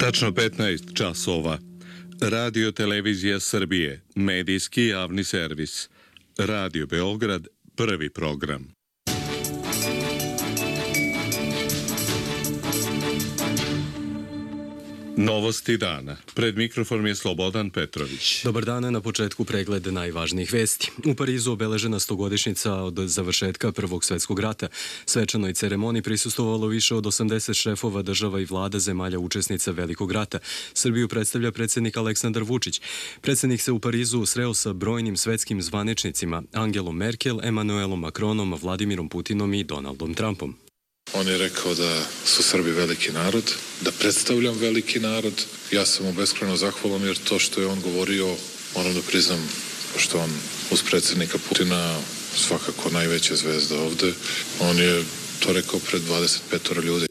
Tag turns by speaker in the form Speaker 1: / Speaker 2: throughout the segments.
Speaker 1: Tačno 15 časova. Radio Televizija Srbije, medijski javni servis. Radio Beograd, prvi program. Novosti dana. Pred mikrofonom je Slobodan Petrović.
Speaker 2: Dobar dan, na početku pregled najvažnijih vesti. U Parizu obeležena 100-godišnjica od završetka Prvog svetskog rata. Svečanoj ceremoniji prisustvovalo više od 80 šefova država i vlada zemalja učesnica Velikog rata. Srbiju predstavlja predsjednik Aleksandar Vučić. Predsjednik se u Parizu sreo sa brojnim svetskim zvaničnicima: Angelom Merkel, Emanuelom Macronom, Vladimirom Putinom i Donaldom Trumpom.
Speaker 3: On je rekao da su Srbi veliki narod, da predstavljam veliki narod. Ja sam mu beskrajno zahvalan jer to što je on govorio, moram da priznam, pošto on uz predsjednika Putina svakako najveća zvezda ovde, on je to rekao pred 25 ljudi.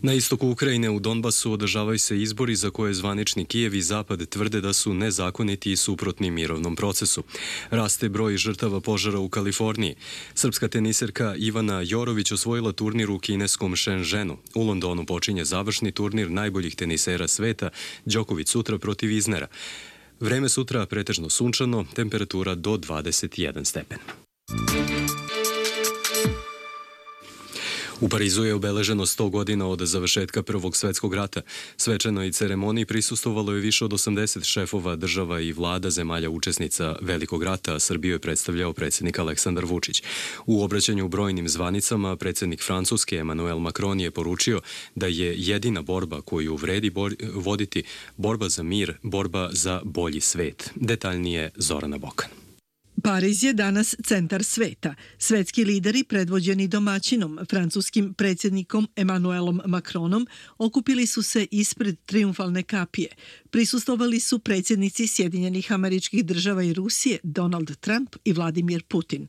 Speaker 2: Na istoku Ukrajine u Donbasu održavaju se izbori za koje zvanični Kijev i Zapad tvrde da su nezakoniti i suprotni mirovnom procesu. Raste broj žrtava požara u Kaliforniji. Srpska teniserka Ivana Jorović osvojila turnir u kineskom Shenzhenu. U Londonu počinje završni turnir najboljih tenisera sveta, Đoković sutra protiv Iznera. Vreme sutra pretežno sunčano, temperatura do 21 stepen. U Parizu je obeleženo 100 godina od završetka Prvog svetskog rata. Svečanoj ceremoniji prisustvovalo je više od 80 šefova država i vlada zemalja učesnica Velikog rata, a Srbiju je predstavljao predsjednik Aleksandar Vučić. U obraćanju brojnim zvanicama predsjednik Francuske Emmanuel Macron je poručio da je jedina borba koju vredi voditi borba za mir, borba za bolji svet. Detaljnije Zorana Bokan.
Speaker 4: Pariz je danas centar sveta. Svetski lideri predvođeni domaćinom, francuskim predsjednikom Emmanuelom Macronom, okupili su se ispred trijumfalne kapije. Prisustvovali su predsjednici Sjedinjenih Američkih Država i Rusije Donald Trump i Vladimir Putin.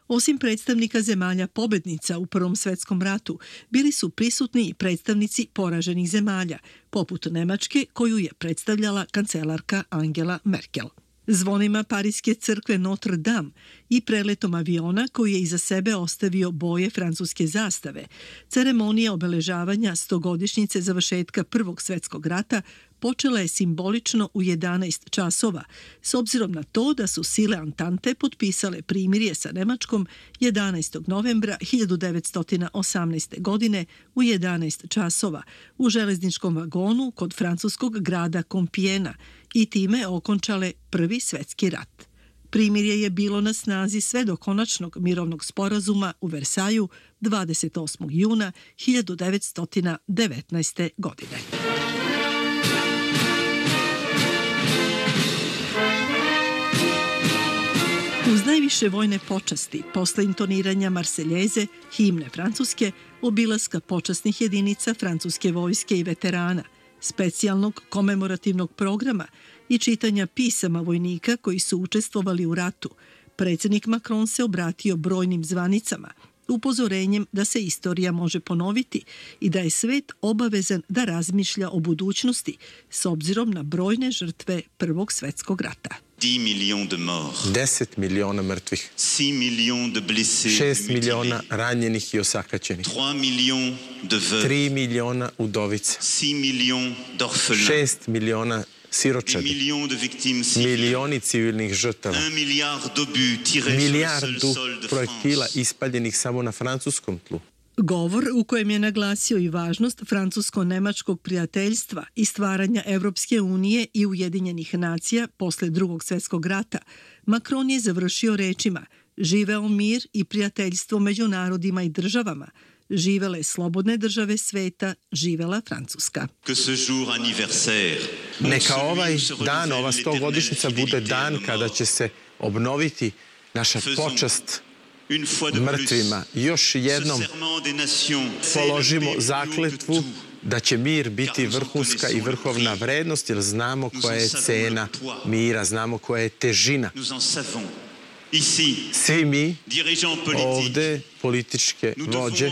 Speaker 4: Osim predstavnika zemalja pobednica u Prvom svetskom ratu, bili su prisutni i predstavnici poraženih zemalja, poput Nemačke koju je predstavljala kancelarka Angela Merkel. Zvonima Pariske crkve Notre Dame i preletom aviona koji je iza sebe ostavio boje francuske zastave, ceremonija obeležavanja 100-godišnjice završetka Prvog svjetskog rata počela je simbolično u 11 časova, s obzirom na to da su sile Antante potpisale primirje sa Nemačkom 11. novembra 1918. godine u 11 časova u železničkom vagonu kod francuskog grada Kompijena i time okončale Prvi svjetski rat. Primirje je bilo na snazi sve do konačnog mirovnog sporazuma u Versaju 28. juna 1919. godine. Uz najviše vojne počasti, posle intoniranja Marseljeze, himne Francuske, obilaska počasnih jedinica francuske vojske i veterana, specijalnog komemorativnog programa i čitanja pisama vojnika koji su učestvovali u ratu, predsjednik Macron se obratio brojnim zvanicama, upozorenjem da se istorija može ponoviti i da je svet obavezan da razmišlja o budućnosti s obzirom na brojne žrtve Prvog svjetskog rata.
Speaker 5: 10 miliona mrtvih, 6 miliona ranjenih i osakaćenih, 3 miliona udovica, 6 miliona siročadi, milioni civilnih žrtava, milijardu projektila ispaljenih samo na francuskom tlu.
Speaker 4: Govor u kojem je naglasio i važnost francusko-nemačkog prijateljstva i stvaranja Evropske unije i Ujedinjenih nacija posle Drugog svjetskog rata, Macron je završio rečima: živeo mir i prijateljstvo među narodima i državama, živele slobodne države sveta, živela Francuska.
Speaker 5: Neka ovaj dan, ova 100-godišnjica bude dan kada će se obnoviti naša počast mrtvima. Još jednom položimo zakletvu da će mir biti vrhunska i vrhovna vrednost, jer znamo koja je cena mira, znamo koja je težina. Svi mi ovde, političke vođe,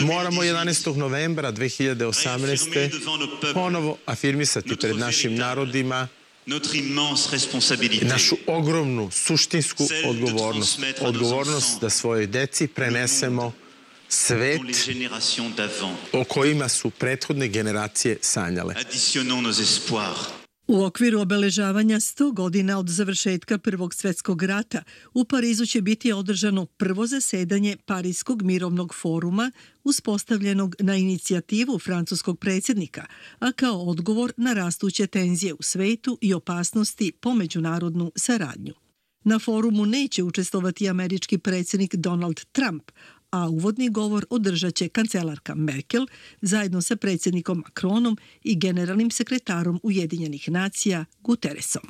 Speaker 5: moramo 11. novembra 2018. ponovo afirmisati pred našim narodima našu ogromnu suštinsku odgovornost. Odgovornost da svojoj deci prenesemo svet o kojima su prethodne generacije sanjale.
Speaker 4: U okviru obeležavanja 100 godina od završetka Prvog svjetskog rata u Parizu će biti održano prvo zasedanje Parijskog mirovnog foruma uspostavljenog na inicijativu francuskog predsjednika, a kao odgovor na rastuće tenzije u svetu i opasnosti po međunarodnu saradnju. Na forumu neće učestvovati američki predsjednik Donald Trump, a uvodni govor održat će kancelarka Merkel zajedno sa predsjednikom Macronom i generalnim sekretarom Ujedinjenih nacija Guterresom.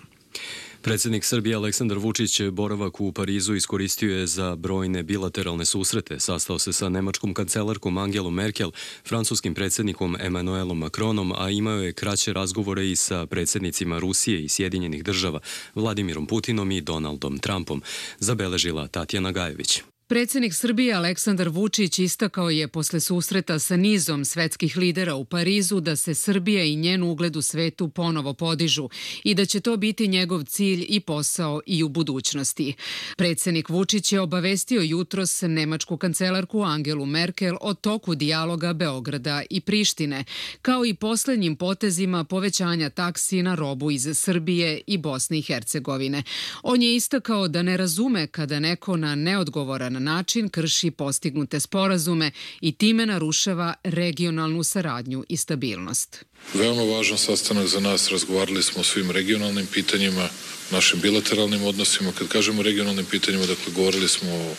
Speaker 2: Predsjednik Srbije Aleksandar Vučić boravak u Parizu iskoristio je za brojne bilateralne susrete. Sastao se sa nemačkom kancelarkom Angelom Merkel, francuskim predsjednikom Emmanuelom Macronom, a imao je kraće razgovore i sa predsjednicima Rusije i Sjedinjenih država, Vladimirom Putinom i Donaldom Trumpom, zabeležila Tatjana Gajević.
Speaker 6: Predsjednik Srbije Aleksandar Vučić istakao je posle susreta sa nizom svetskih lidera u Parizu da se Srbija i njen ugled u svetu ponovo podižu i da će to biti njegov cilj i posao i u budućnosti. Predsjednik Vučić je obavestio jutros nemačku kancelarku Angelu Merkel o toku dijaloga Beograda i Prištine, kao i posljednjim potezima povećanja taksi na robu iz Srbije i Bosne i Hercegovine. On je istakao da ne razume kada neko na neodgovoran način krši postignute sporazume i time narušava regionalnu saradnju i stabilnost.
Speaker 3: Veoma važan sastanak za nas, razgovarali smo o svim regionalnim pitanjima, našim bilateralnim odnosima. Kad kažemo regionalnim pitanjima, dakle, govorili smo o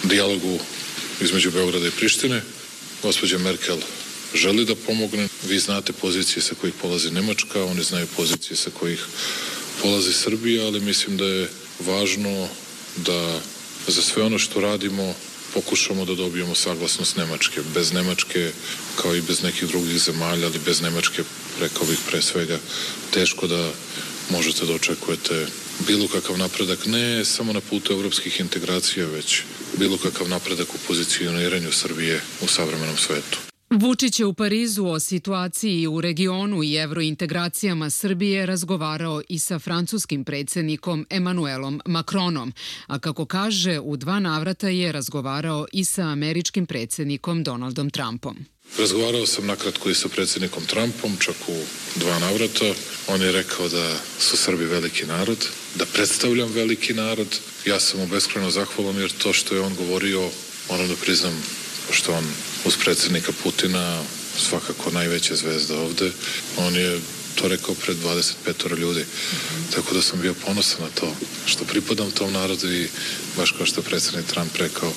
Speaker 3: dijalogu između Beograda i Prištine. Gospođa Merkel želi da pomogne. Vi znate pozicije sa kojih polazi Nemačka, oni znaju pozicije sa kojih polazi Srbija, ali mislim da je važno da za sve ono što radimo pokušamo da dobijemo saglasnost Nemačke. Bez Nemačke, kao i bez nekih drugih zemalja, ali bez Nemačke, rekao bih pre svega, teško da možete da očekujete bilo kakav napredak, ne samo na putu evropskih integracija, već bilo kakav napredak u pozicioniranju Srbije u savremenom svetu.
Speaker 6: Vučić je u Parizu o situaciji u regionu i evrointegracijama Srbije razgovarao i sa francuskim predsjednikom Emmanuelom Macronom, a kako kaže, u 2 navrata je razgovarao i sa američkim predsjednikom Donaldom Trumpom.
Speaker 3: Razgovarao sam nakratko i sa predsjednikom Trumpom, čak u 2 navrata. On je rekao da su Srbi veliki narod, da predstavljam veliki narod. Ja sam mu beskrajno zahvalan jer to što je on govorio, moram da priznam, pošto on uz predsjednika Putina svakako najveća zvezda ovde, on je to rekao pred 25 ljudi. Tako da sam bio ponosan na to što pripadam tom narodu i baš kao što je predsjednik Trump rekao,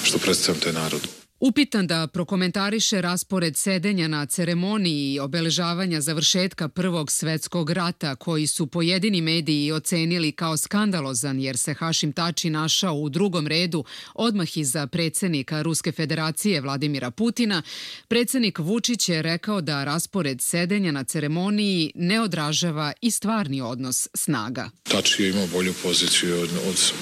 Speaker 3: što predstavljam taj narod.
Speaker 6: Upitan da prokomentariše raspored sedenja na ceremoniji obeležavanja završetka Prvog svjetskog rata, koji su pojedini mediji ocenili kao skandalozan jer se Hašim Tači našao u 2. redu odmah iza predsjednika Ruske federacije Vladimira Putina, predsjednik Vučić je rekao da raspored sedenja na ceremoniji ne odražava i stvarni odnos snaga.
Speaker 3: Tači je imao bolju poziciju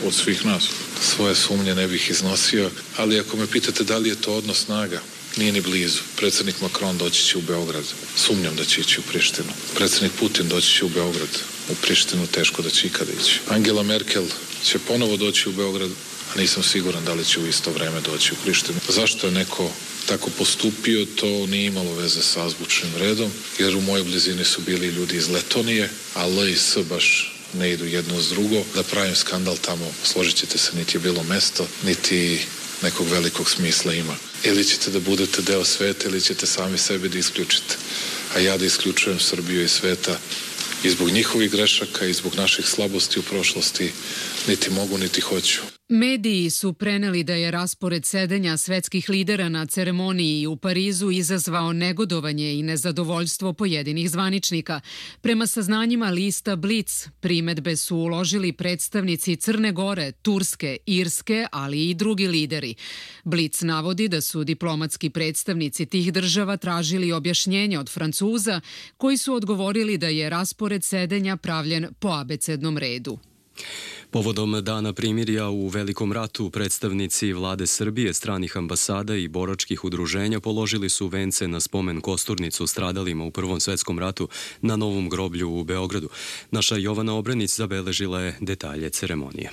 Speaker 3: od svih nas. Svoje sumnje ne bih iznosio, ali ako me pitate da li je to odnos snaga, nije ni blizu. Predsjednik Macron doći će u Beograd. Sumnjam da će ići u Prištinu. Predsjednik Putin doći će u Beograd. U Prištinu teško da će ikada ići. Angela Merkel će ponovo doći u Beograd, a nisam siguran da li će u isto vreme doći u Prištinu. Zašto je neko tako postupio, to nije imalo veze sa azbučnim redom, jer u mojoj blizini su bili ljudi iz Letonije, a L i S baš ne idu jedno uz drugo. Da pravim skandal tamo, složit ćete se, niti je bilo mesto, niti nekog velikog smisla ima. Ili ćete da budete deo sveta ili ćete sami sebe da isključite. A ja da isključujem Srbiju iz sveta i zbog njihovih grešaka i zbog naših slabosti u prošlosti niti mogu niti hoću.
Speaker 6: Mediji su preneli da je raspored sedenja svetskih lidera na ceremoniji u Parizu izazvao negodovanje i nezadovoljstvo pojedinih zvaničnika. Prema saznanjima lista Blic, primedbe su uložili predstavnici Crne Gore, Turske, Irske, ali i drugi lideri. Blic navodi da su diplomatski predstavnici tih država tražili objašnjenje od Francuza, koji su odgovorili da je raspored sedenja pravljen po abecednom redu.
Speaker 2: Povodom Dana primirja u Velikom ratu, predstavnici vlade Srbije, stranih ambasada i boračkih udruženja položili su vence na spomen kosturnicu stradalima u Prvom svjetskom ratu na Novom groblju u Beogradu. Naša Jovana Obrenić zabeležila je detalje ceremonije.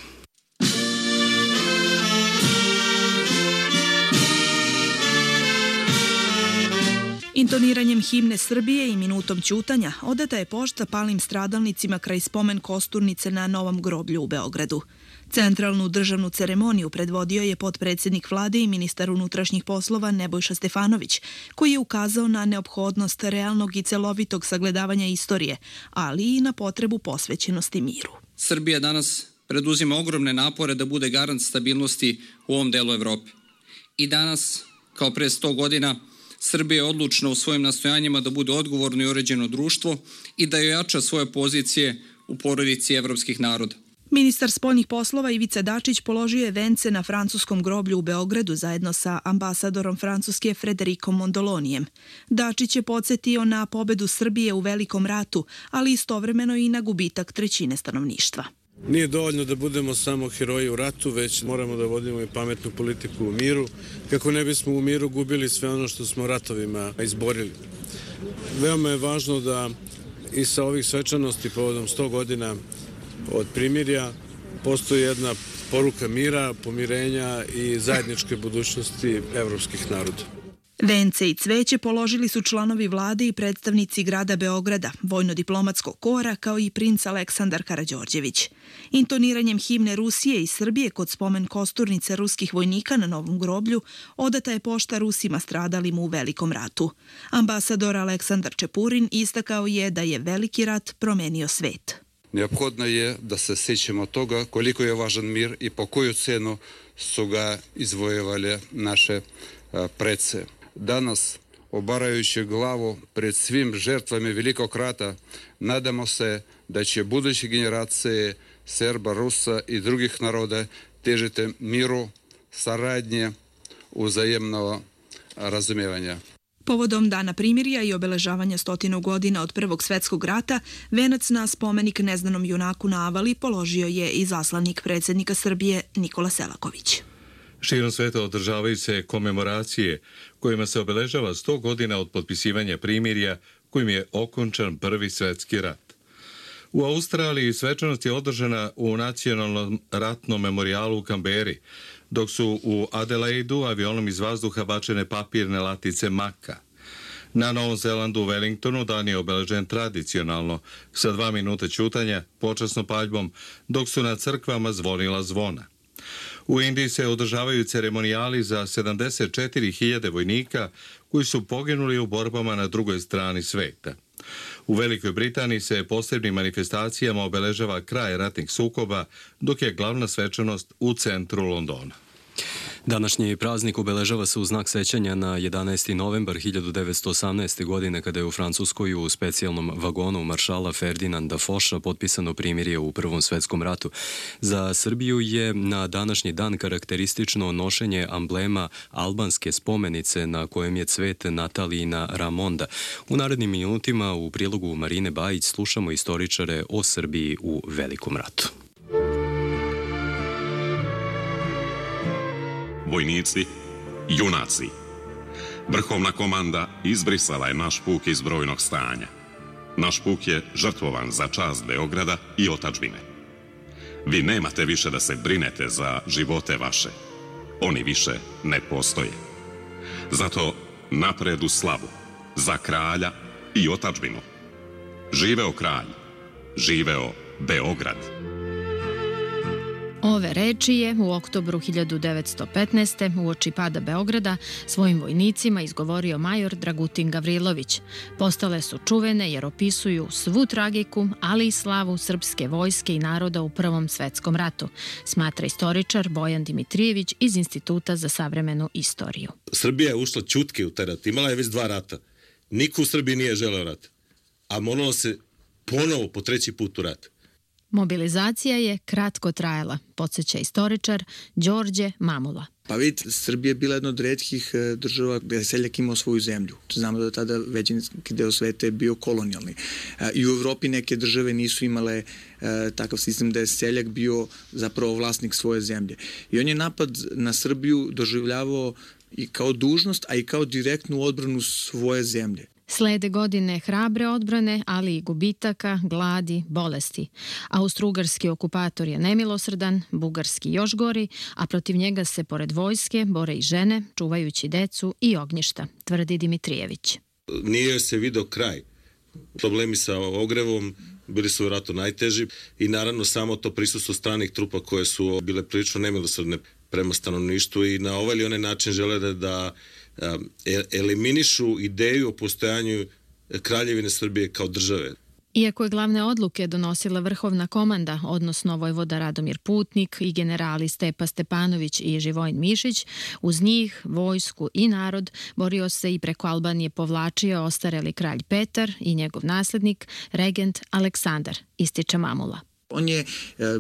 Speaker 7: Intoniranjem himne Srbije i minutom ćutanja odata je pošta palim stradalnicima kraj spomen kosturnice na Novom groblju u Beogradu. Centralnu državnu ceremoniju predvodio je potpredsednik vlade i ministar unutrašnjih poslova Nebojša Stefanović, koji je ukazao na neophodnost realnog i celovitog sagledavanja istorije, ali i na potrebu posvećenosti miru.
Speaker 8: Srbija danas preduzima ogromne napore da bude garant stabilnosti u ovom delu Evrope. I danas, kao pre 100 godina, Srbija je odlučna u svojim nastojanjima da bude odgovorno i uređeno društvo i da ojača svoje pozicije u porodici evropskih naroda.
Speaker 7: Ministar spoljnih poslova Ivica Dačić položio je vence na francuskom groblju u Beogradu zajedno sa ambasadorom Francuske Frederikom Mondolonijem. Dačić je podsjetio na pobedu Srbije u Velikom ratu, ali istovremeno i na gubitak trećine stanovništva.
Speaker 9: Nije dovoljno da budemo samo heroji u ratu, već moramo da vodimo i pametnu politiku u miru, kako ne bismo u miru gubili sve ono što smo ratovima izborili. Veoma je važno da i sa ovih svečanosti povodom 100 godina od primirja postoji jedna poruka mira, pomirenja i zajedničke budućnosti evropskih naroda.
Speaker 7: Vence i cveće položili su članovi vlade i predstavnici grada Beograda, vojno-diplomatskog kora, kao i princ Aleksandar Karađorđević. Intoniranjem himne Rusije i Srbije kod spomen kosturnice ruskih vojnika na Novom groblju odata je pošta Rusima stradalim u Velikom ratu. Ambasador Aleksandar Čepurin istakao je da je Veliki rat promenio svet.
Speaker 10: Neophodno je da se sećamo toga koliko je važan mir i po koju cenu su ga izvojevali naše prece. Danas, obarajući glavu pred svim žrtvama Velikog rata, nadamo se da će buduće generacije Srba, Rusa i drugih naroda težiti miru, saradnje, uzajemnog razumijevanja.
Speaker 7: Povodom Dana primirja i obeležavanja 100 godina od Prvog svetskog rata, venac na spomenik neznanom junaku na Avali položio je i zaslanik predsjednika Srbije Nikola Selaković.
Speaker 1: Širom sveta održavaju se komemoracije kojima se obeležava 100 godina od potpisivanja primirja kojim je okončan Prvi svetski rat. U Australiji svečanost je održana u Nacionalnom ratnom memorijalu u Kamberi, dok su u Adelaidu avionom iz vazduha bačene papirne latice maka. Na Novom Zelandu u Wellingtonu dan je obeležen tradicionalno, sa 2 minuta ćutanja, počasnom paljbom, dok su na crkvama zvonila zvona. U Indiji se održavaju ceremonijali za 74.000 vojnika koji su poginuli u borbama na drugoj strani sveta. U Velikoj Britaniji se posebnim manifestacijama obeležava kraj ratnih sukoba, dok je glavna svečanost u centru Londona.
Speaker 2: Današnji praznik obeležava se u znak sećanja na 11. novembar 1918. godine kada je u Francuskoj u specijalnom vagonu maršala Ferdinanda Foša potpisano primirje u Prvom svetskom ratu. Za Srbiju je na današnji dan karakteristično nošenje amblema albanske spomenice na kojem je cvet Natalijina Ramonda. U narednim minutima u prilogu Marine Bajić slušamo istoričare o Srbiji u Velikom ratu.
Speaker 11: Vojnici, junaci. Vrhovna komanda izbrisala je naš puk iz brojnog stanja. Naš puk je žrtvovan za čast Beograda i otadžbine. Vi nemate više da se brinete za živote vaše. Oni više ne postoje. Zato napred u slavu, za kralja i otadžbinu. Živeo kralj, živeo Beograd.
Speaker 12: Ove reči je u oktobru 1915. uoči pada Beograda svojim vojnicima izgovorio major Dragutin Gavrilović. Postale su čuvene jer opisuju svu tragiku, ali i slavu srpske vojske i naroda u Prvom svetskom ratu, smatra istoričar Bojan Dimitrijević iz Instituta za savremenu istoriju.
Speaker 13: Srbija je ušla ćutke u taj rat, imala je već 2 rata. Niko u Srbiji nije želeo rat, a moralo se ponovo po 3. put u rat.
Speaker 12: Mobilizacija je kratko trajala, podsjeća istoričar Đorđe Mamula.
Speaker 14: Pa vidite, Srbija je bila jedna od retkih država gde je seljak imao svoju zemlju. Znamo da tada većinski deo sveta je bio kolonijalni. I u Evropi neke države nisu imale takav sistem da je seljak bio zapravo vlasnik svoje zemlje. I on je napad na Srbiju doživljavao i kao dužnost, a i kao direktnu odbranu svoje zemlje.
Speaker 12: Slede godine hrabre odbrane, ali i gubitaka, gladi, bolesti. Austro-ugarski okupator je nemilosrdan, bugarski još gori, a protiv njega se pored vojske bore i žene, čuvajući decu i ognjišta, tvrdi Dimitrijević.
Speaker 13: nije se video kraj. Problemi sa ogrevom bili su vjerojatno najteži i naravno samo to prisustvo stranih trupa koje su bile prilično nemilosrdne prema stanovništvu i na ovaj ili onaj način žele da eliminišu ideju o postojanju Kraljevine Srbije kao države.
Speaker 12: Iako je glavne odluke donosila vrhovna komanda, odnosno vojvoda Radomir Putnik i generali Stepa Stepanović i Živojin Mišić, uz njih, vojsku i narod borio se i preko Albanije povlačio ostareli kralj Petar i njegov naslednik, regent Aleksandar, ističe Mamula.
Speaker 14: On je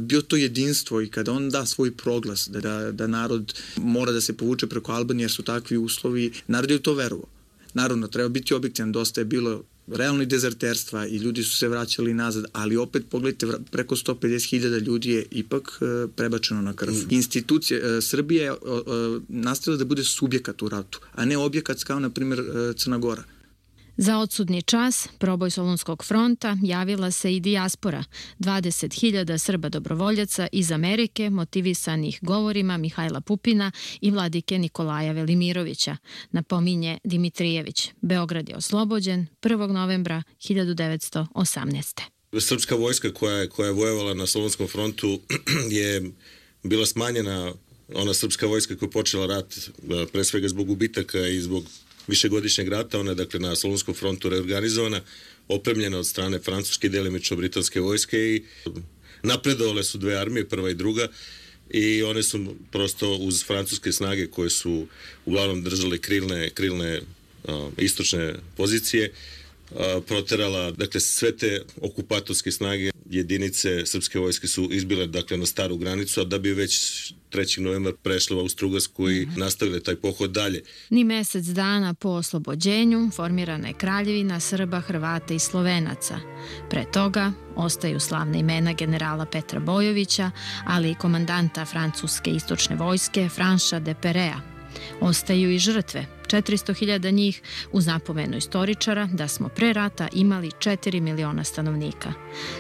Speaker 14: bio to jedinstvo i kada on da svoj proglas da narod mora da se povuče preko Albanije jer su takvi uslovi, narod je u to verovao. Naravno, treba biti objektivan, dosta je bilo realno i dezerterstva i ljudi su se vraćali nazad, ali opet pogledajte, preko 150.000 ljudi je ipak prebačeno na krv. Institucija Srbije je nastavila da bude subjekat u ratu, a ne objekat kao, na primjer, Crna Gora.
Speaker 12: Za odsudni čas, proboj Solunskog fronta, javila se i dijaspora, 20.000 Srba dobrovoljaca iz Amerike, motivisanih govorima Mihajla Pupina i vladike Nikolaja Velimirovića, napominje Dimitrijević. Beograd je oslobođen 1. novembra 1918.
Speaker 13: Srpska vojska koja je vojevala na Solunskom frontu je bila smanjena, ona srpska vojska koja je počela rat pre svega zbog gubitaka i zbog višegodišnjeg rata, ona je dakle na Solunskom frontu reorganizovana, opremljena od strane francuske i delimično britanske vojske i napredovale su dve armije, prva i druga, i one su prosto uz francuske snage koje su uglavnom držale krilne istočne pozicije, proterala, dakle sve te okupatorske snage, jedinice srpske vojske su izbile dakle na staru granicu, a da bi već 3. novembra prešle u Austrougarsku i nastavile taj pohod dalje.
Speaker 12: Ni mesec dana po oslobođenju formirana je Kraljevina Srba, Hrvata i Slovenaca. Pre toga ostaju slavna imena generala Petra Bojovića, ali i komandanta francuske istočne vojske Franša de Perea. Ostaju i žrtve, 400.000 njih, uz napomenu istoričara da smo pre rata imali 4 miliona stanovnika.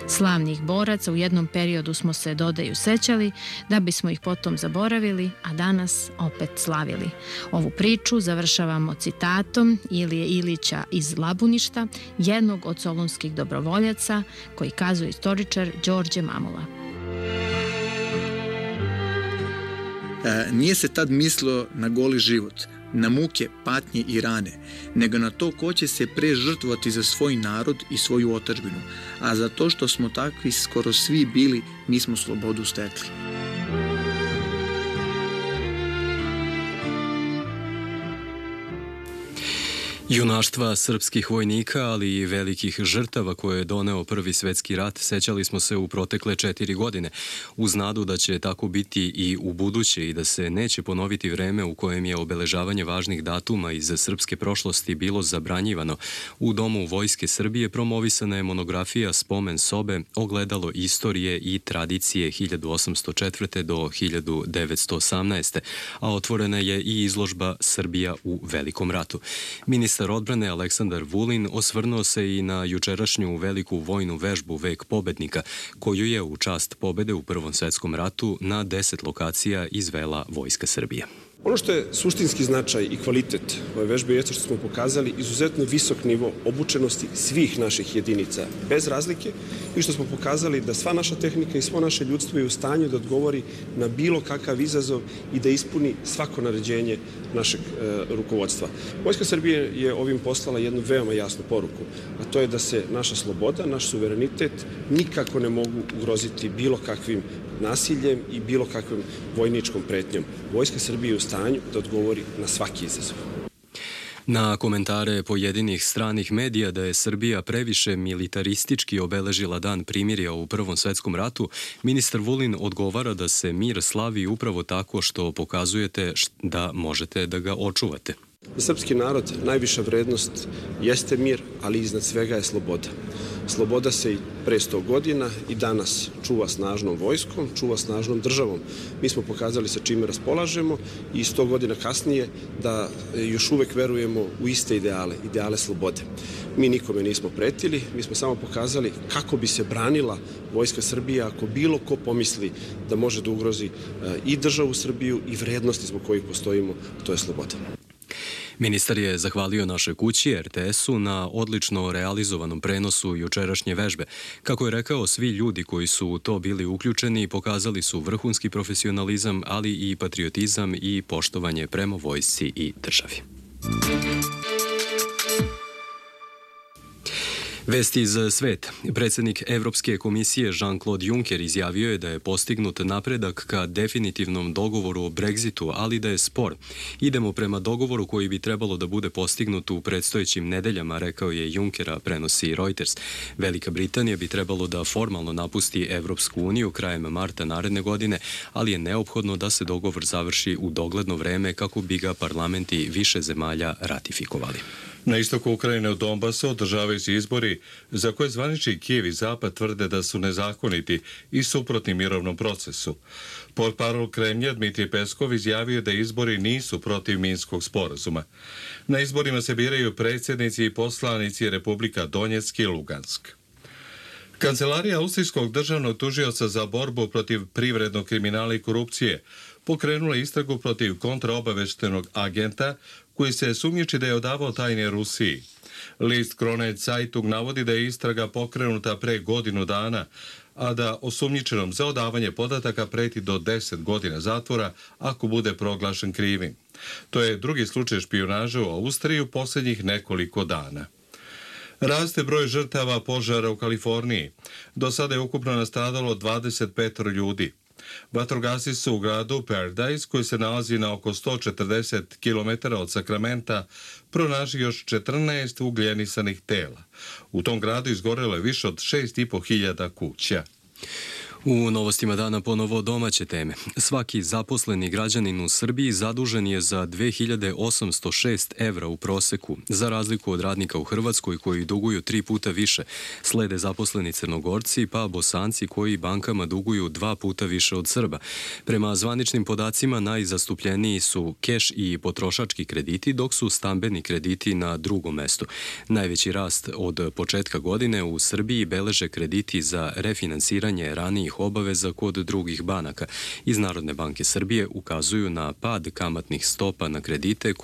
Speaker 12: Slavnih boraca u jednom periodu smo se, dodaju, sećali, da bismo ih potom zaboravili, a danas opet slavili. Ovu priču završavamo citatom Ilije Ilića iz Labuništa, jednog od solunskih dobrovoljaca, koji kazuje istoričar Đorđe Mamula.
Speaker 14: Nije se tad mislilo na goli život, na muke, patnje i rane, nego na to ko će se pre žrtvovati za svoj narod i svoju otadžbinu, a za to što smo takvi skoro svi bili, mi smo slobodu stekli.
Speaker 2: Junaštva srpskih vojnika, ali i velikih žrtava koje je doneo Prvi svetski rat, sećali smo se u protekle 4 godine, uz nadu da će tako biti i u buduće i da se neće ponoviti vreme u kojem je obeležavanje važnih datuma iz srpske prošlosti bilo zabranjivano. U Domu Vojske Srbije promovisana je monografija Spomen sobe, ogledalo istorije i tradicije 1804. do 1918. A otvorena je i izložba Srbija u Velikom ratu. Ministar odbrane Aleksandar Vulin osvrnuo se i na jučerašnju veliku vojnu vežbu Vek pobednika, koju je u čast pobede u Prvom svetskom ratu na 10 lokacija izvela Vojska Srbije.
Speaker 15: Ono što je suštinski značaj i kvalitet ove vežbe je što smo pokazali izuzetno visok nivo obučenosti svih naših jedinica, bez razlike, i što smo pokazali da sva naša tehnika i svo naše ljudstvo je u stanju da odgovori na bilo kakav izazov i da ispuni svako naređenje našeg rukovodstva. Vojska Srbije je ovim poslala jednu veoma jasnu poruku, a to je da se naša sloboda, naš suverenitet nikako ne mogu ugroziti bilo kakvim nasiljem i bilo kakvom vojničkom pretnjom. Vojska Srbije je u stanju da odgovori na svaki izazov.
Speaker 2: Na komentare pojedinih stranih medija da je Srbija previše militaristički obeležila dan primirja u Prvom svetskom ratu, ministar Vulin odgovara da se mir slavi upravo tako što pokazujete da možete da ga očuvate.
Speaker 15: Za srpski narod najviša vrednost jeste mir, ali iznad svega je sloboda. Sloboda se i pre 100 godina i danas čuva snažnom vojskom, čuva snažnom državom. Mi smo pokazali sa čime raspolažemo i 100 godina kasnije da još uvek verujemo u iste ideale slobode. Mi nikome nismo pretili, mi smo samo pokazali kako bi se branila Vojska Srbije ako bilo ko pomisli da može da ugrozi i državu Srbiju i vrednosti zbog kojih postojimo, to je sloboda.
Speaker 2: Ministar je zahvalio našoj kući RTS-u na odlično realizovanom prenosu jučerašnje vežbe. Kako je rekao, svi ljudi koji su u to bili uključeni pokazali su vrhunski profesionalizam, ali i patriotizam i poštovanje prema vojsci i državi. Vesti iz sveta. Predsjednik Evropske komisije Jean-Claude Juncker izjavio je da je postignut napredak ka definitivnom dogovoru o Brexitu, ali da je spor. Idemo prema dogovoru koji bi trebalo da bude postignut u predstojećim nedeljama, rekao je Junckera, prenosi Reuters. Velika Britanija bi trebalo da formalno napusti Evropsku uniju krajem marta naredne godine, ali je neophodno da se dogovor završi u dogledno vreme kako bi ga parlamenti više zemalja ratifikovali.
Speaker 1: Na istoku Ukrajine u Donbasu održavaju se izbori za koje zvanični Kijev i Zapad tvrde da su nezakoniti i suprotni mirovnom procesu. Portparol Kremlja Dmitrij Peskov izjavio da izbori nisu protiv Minskog sporazuma. Na izborima se biraju predsjednici i poslanici Republika Donjeck i Lugansk. Kancelarija Austrijskog državnog tužioca za borbu protiv privrednog kriminala i korupcije pokrenula istragu protiv kontraobaveštenog agenta koji se sumnjiči da je odavao tajne Rusiji. List Krone Zeitung navodi da je istraga pokrenuta pre godinu dana, a da osumnjičenom za odavanje podataka preti do 10 godina zatvora ako bude proglašen krivim. To je drugi slučaj špijunaže u Austriji u posljednjih nekoliko dana. Raste broj žrtava požara u Kaliforniji. Do sada je ukupno nastradalo 25 ljudi. Vatrogasci su u gradu Paradise, koji se nalazi na oko 140 km od Sakramenta, pronašli još 14 ugljenisanih tela. U tom gradu izgorelo je više od 6.500 kuća.
Speaker 2: U novostima dana ponovo domaće teme. Svaki zaposleni građanin u Srbiji zadužen je za 2806 evra u proseku, za razliku od radnika u Hrvatskoj koji duguju 3 puta više. Slede zaposleni Crnogorci, pa Bosanci koji bankama duguju 2 puta više od Srba. Prema zvaničnim podacima najzastupljeniji su keš i potrošački krediti, dok su stambeni krediti na drugom mestu. Najveći rast od početka godine u Srbiji beleže krediti za refinansiranje ranijih obaveza kod drugih banaka. Iz Narodne banke Srbije ukazuju na pad kamatnih stopa na kredite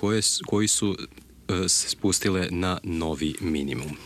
Speaker 2: koji su se spustile na novi minimum.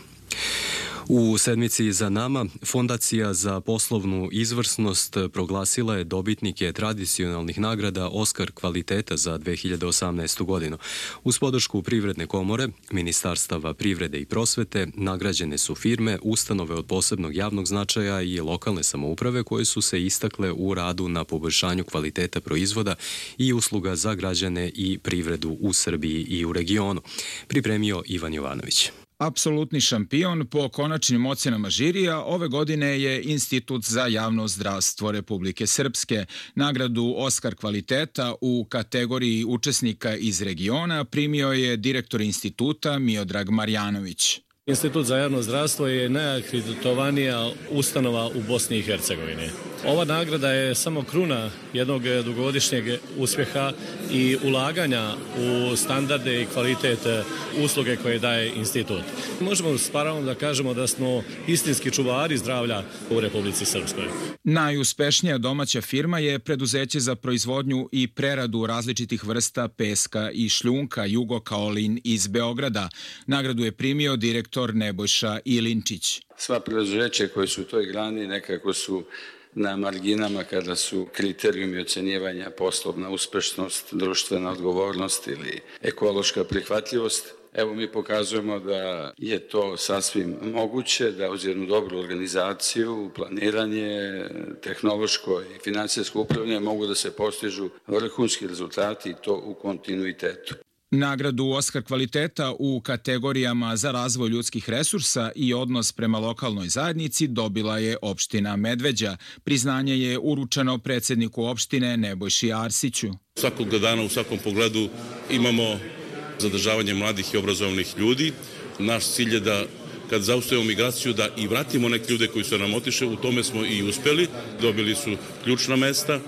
Speaker 2: U sedmici za nama, Fondacija za poslovnu izvrsnost proglasila je dobitnike tradicionalnih nagrada Oskar kvaliteta za 2018. godinu. Uz podršku Privredne komore, Ministarstava privrede i prosvete, nagrađene su firme, ustanove od posebnog javnog značaja i lokalne samouprave koje su se istakle u radu na poboljšanju kvaliteta proizvoda i usluga za građane i privredu u Srbiji i u regionu. Pripremio Ivan Jovanović.
Speaker 16: Apsolutni šampion po konačnim ocenama žirija ove godine je Institut za javno zdravstvo Republike Srpske. Nagradu Oskar kvaliteta u kategoriji učesnika iz regiona primio je direktor instituta Miodrag Marjanović.
Speaker 17: Institut za javno zdravstvo je najakreditovanija ustanova u Bosni i Hercegovini. Ova nagrada je samo kruna jednog dugogodišnjeg uspjeha i ulaganja u standarde i kvalitet usluge koje daje institut. Možemo s pravom da kažemo da smo istinski čuvari zdravlja u Republici Srpskoj.
Speaker 16: Najuspešnija domaća firma je preduzeće za proizvodnju i preradu različitih vrsta peska i šljunka Jugo Kaolin iz Beograda. Nagradu je primio direktor Nebojša Ilinčić.
Speaker 18: Sva preduzeća koje su u toj grani nekako su na marginama kada su kriterijumi ocenjivanja poslovna uspešnost, društvena odgovornost ili ekološka prihvatljivost. Evo mi pokazujemo da je to sasvim moguće, da uz jednu dobru organizaciju, planiranje, tehnološko i finansijsko upravljanje mogu da se postižu vrhunski rezultati i to u kontinuitetu.
Speaker 16: Nagradu Oskar kvaliteta u kategorijama za razvoj ljudskih resursa i odnos prema lokalnoj zajednici dobila je opština Medveđa. Priznanje je uručeno predsjedniku opštine Nebojši Arsiću.
Speaker 19: Svakog dana u svakom pogledu imamo zadržavanje mladih i obrazovnih ljudi. Naš cilj je da kad zaustavimo migraciju da i vratimo neke ljude koji su nam otišli, u tome smo i uspeli. Dobili su ključna mesta.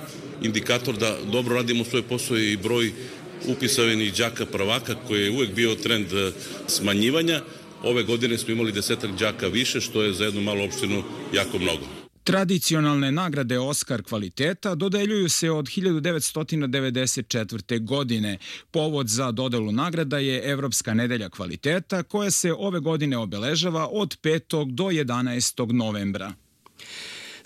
Speaker 19: Indikator da dobro radimo svoj posao i broj upisanih đaka prvaka koji je uvek bio trend smanjivanja. Ove godine smo imali 10 đaka više, što je za jednu malu opštinu jako mnogo.
Speaker 16: Tradicionalne nagrade Oskar kvaliteta dodeljuju se od 1994. godine. Povod za dodelu nagrada je Evropska nedelja kvaliteta koja se ove godine obeležava od 5. do 11. novembra.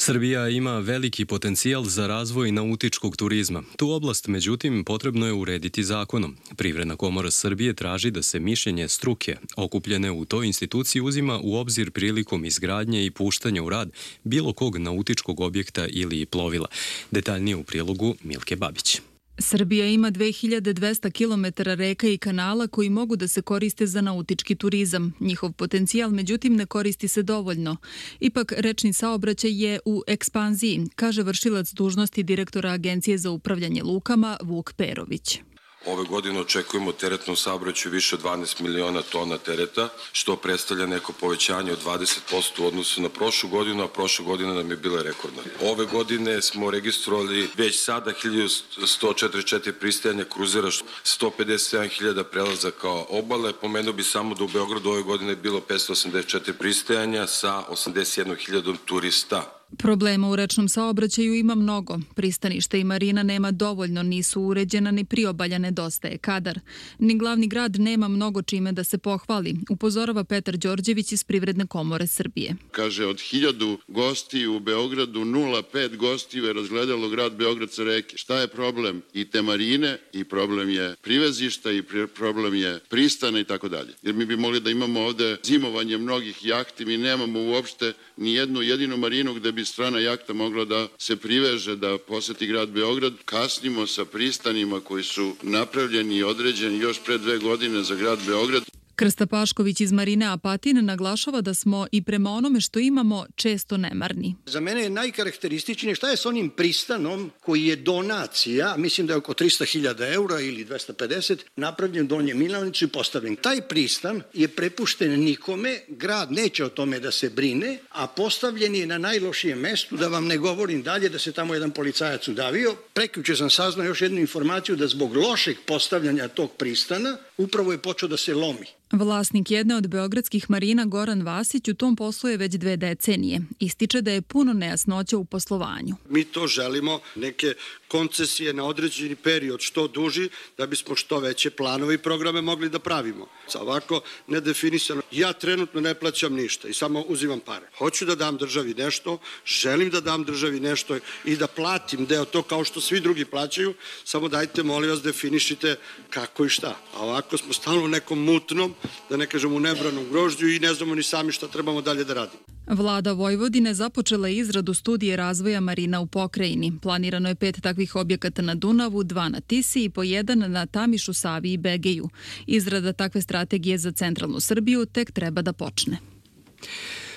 Speaker 2: Srbija ima veliki potencijal za razvoj nautičkog turizma. Tu oblast, međutim, potrebno je urediti zakonom. Privredna komora Srbije traži da se mišljenje struke okupljene u toj instituciji uzima u obzir prilikom izgradnje i puštanja u rad bilo kog nautičkog objekta ili plovila. Detaljnije u prilogu Milke Babić.
Speaker 7: Srbija ima 2200 km reka i kanala koji mogu da se koriste za nautički turizam. Njihov potencijal, međutim, ne koristi se dovoljno. Ipak, rečni saobraćaj je u ekspanziji, kaže vršilac dužnosti direktora Agencije za upravljanje lukama Vuk Perović.
Speaker 20: Ove godine očekujemo teretnom saobraćaju više od 12 miliona tona tereta, što predstavlja neko povećanje od 20% u odnosu na prošlu godinu, a prošla godina nam je bila rekordna. Ove godine smo registrovali već sada 1144 pristajanja kruzera, 157.000 prelazaka obale. Pomenuo bi samo da u Beogradu ove godine je bilo 584 pristajanja sa 81.000 turista.
Speaker 7: Problema u rečnom saobraćaju ima mnogo. Pristanište i marina nema dovoljno, nisu uređena, ni priobalja nedostaje kadar. Ni glavni grad nema mnogo čime da se pohvali, upozorava Petar Đorđević iz Privredne komore Srbije.
Speaker 21: Kaže, od 1000 gostiju u Beogradu 0,5 gostiju je razgledalo grad Beograd sa reke. Šta je problem? I te marine, i problem je privezišta, i problem je pristana i tako dalje. Jer mi bi mogli da imamo ovde zimovanje mnogih jahti, mi nemamo uopšte ni jednu jedinu marinu gde bi strana jahta mogla da se priveže, da poseti grad Beograd. Kasnimo sa pristanima koji su napravljeni i određeni još pre 2 godine za grad Beograd.
Speaker 7: Krsta Pašković iz Marine Apatin naglašava da smo i prema onome što imamo često nemarni.
Speaker 22: Za mene je najkarakterističnije šta je s onim pristanom koji je donacija, mislim da je oko 300.000 eura ili 250, napravljen Donje Milanicu i postavljen. Taj pristan je prepušten nikome, grad neće o tome da se brine, a postavljen je na najlošijem mestu, da vam ne govorim dalje, da se tamo jedan policajac udavio. Prekjuče sam saznao još jednu informaciju da zbog lošeg postavljanja tog pristana upravo je počeo da se lomi.
Speaker 7: Vlasnik jedne od beogradskih marina Goran Vasić u tom poslu je već 2 decenije. Ističe da je puno nejasnoća u poslovanju.
Speaker 22: Mi to želimo, neke koncesije na određeni period što duži, da bismo što veće planove i programe mogli da pravimo. Ovako nedefinisano. Ja trenutno ne plaćam ništa i samo uzimam pare. Hoću da dam državi nešto, želim da dam državi nešto i da platim deo to kao što svi drugi plaćaju, samo dajte, molim vas, definišite kako i šta. A ovako smo stalno u nekom mutnom, da ne kažem u nebranom grožđu i ne znamo ni sami šta trebamo dalje da radimo.
Speaker 7: Vlada Vojvodine započela je izradu studije razvoja marina u pokrajini. Planirano je 5 takvih objekata na Dunavu, 2 na Tisi i po 1 na Tamišu, Savi i Begeju. Izrada takve strategije za centralnu Srbiju tek treba da počne.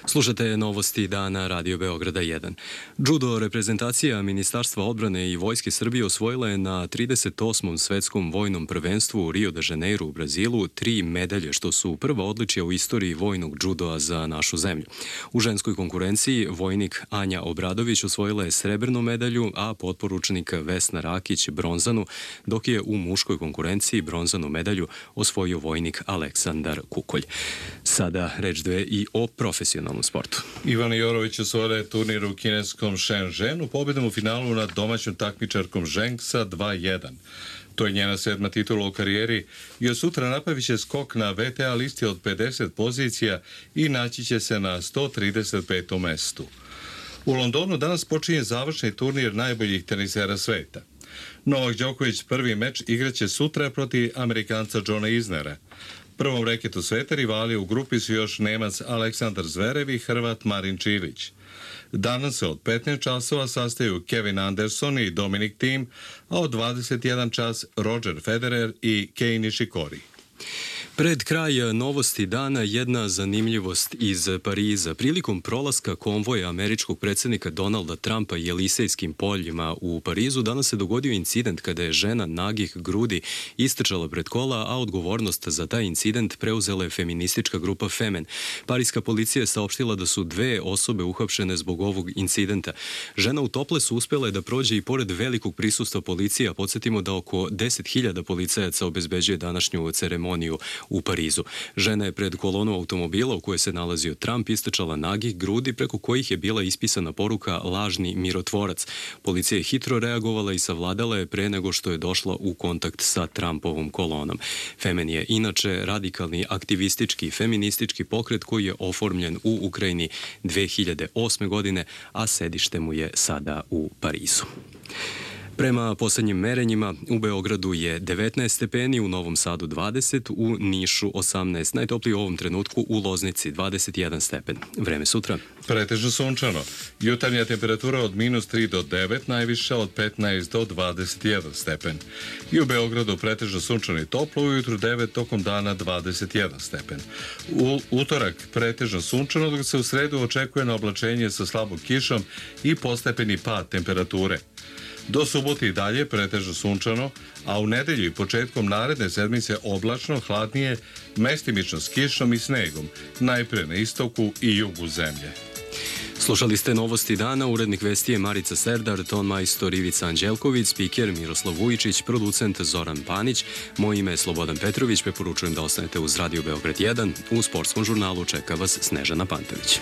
Speaker 2: Slušate novosti dana Radio Beograda 1. Judo reprezentacija Ministarstva odbrane i Vojske Srbije osvojila je na 38. svetskom vojnom prvenstvu u Rio de Janeiro u Brazilu 3 medalje, što su prva odličja u istoriji vojnog judoa za našu zemlju. U ženskoj konkurenciji vojnik Anja Obradović osvojila je srebrnu medalju, a potporučnik Vesna Rakić bronzanu, dok je u muškoj konkurenciji bronzanu medalju osvojio vojnik Aleksandar Kukolj. Sada reč dve i o profesionalnom sportu.
Speaker 1: Ivana Jorović osvojila je turnir u kineskom Shenzhenu pobedom u finalu nad domaćom takmičarkom Zheng sa 2:1. To je njena 7. titula u karijeri i od sutra napravit će skok na VTA listi od 50 pozicija i naći će se na 135. mestu. U Londonu danas počinje završni turnir najboljih tenisera sveta. Novak Đoković prvi meč igraće sutra protiv Amerikanca Johna Isnera. Prvom reketu sveta rivali u grupi su još Nemac Aleksandar Zverev i Hrvat Marin Čilić. Danas se od 15 časova sastaju Kevin Anderson i Dominic Thiem, a od 21 čas Roger Federer i Kei Nishikori.
Speaker 2: Pred kraj novosti dana jedna zanimljivost iz Pariza. Prilikom prolaska konvoja američkog predsjednika Donalda Trumpa i Elisejskim poljima u Parizu danas se dogodio incident kada je žena nagih grudi istrčala pred kola, a odgovornost za taj incident preuzela je feministička grupa Femen. Parijska policija je saopštila da su 2 osobe uhapšene zbog ovog incidenta. Žena u toplesu uspjela je da prođe i pored velikog prisustva policije, a podsjetimo da oko 10.000 policajaca obezbeđuje današnju ceremoniju u Parizu. Žena je pred kolonu automobila u kojoj se nalazio Trump istrčala nagih grudi preko kojih je bila ispisana poruka lažni mirotvorac. Policija je hitro reagovala i savladala je pre nego što je došla u kontakt sa Trumpovom kolonom. Femen je inače radikalni aktivistički feministički pokret koji je oformljen u Ukrajini 2008. godine, a sedište mu je sada u Parizu. Prema poslednjim merenjima, u Beogradu je 19 stepeni, u Novom Sadu 20, u Nišu 18, najtopliji u ovom trenutku u Loznici 21 stepen. Vreme sutra.
Speaker 1: Pretežno sunčano. Jutarnja temperatura od -3 do 9, najviša od 15 do 21 stepen. I u Beogradu pretežno sunčano i toplo, ujutru 9, tokom dana 21 stepen. U utorak pretežno sunčano, dok se u sredu očekuje na oblačenje sa slabom kišom i postepeni pad temperature. Do subote i dalje pretežno sunčano, a u nedelju i početkom naredne sedmice oblačno, hladnije, mestimično s kišom i snegom, najpre na istoku i jugu zemlje.
Speaker 2: Slušali ste novosti dana, urednik vesti je Marica Serdar, ton majstor Ivica Anđelković, spiker Miroslav Vujičić, producent Zoran Panić, moje ime je Slobodan Petrović, preporučujem da ostanete uz Radio Beograd 1, u sportskom žurnalu čeka vas Snežana Pantović.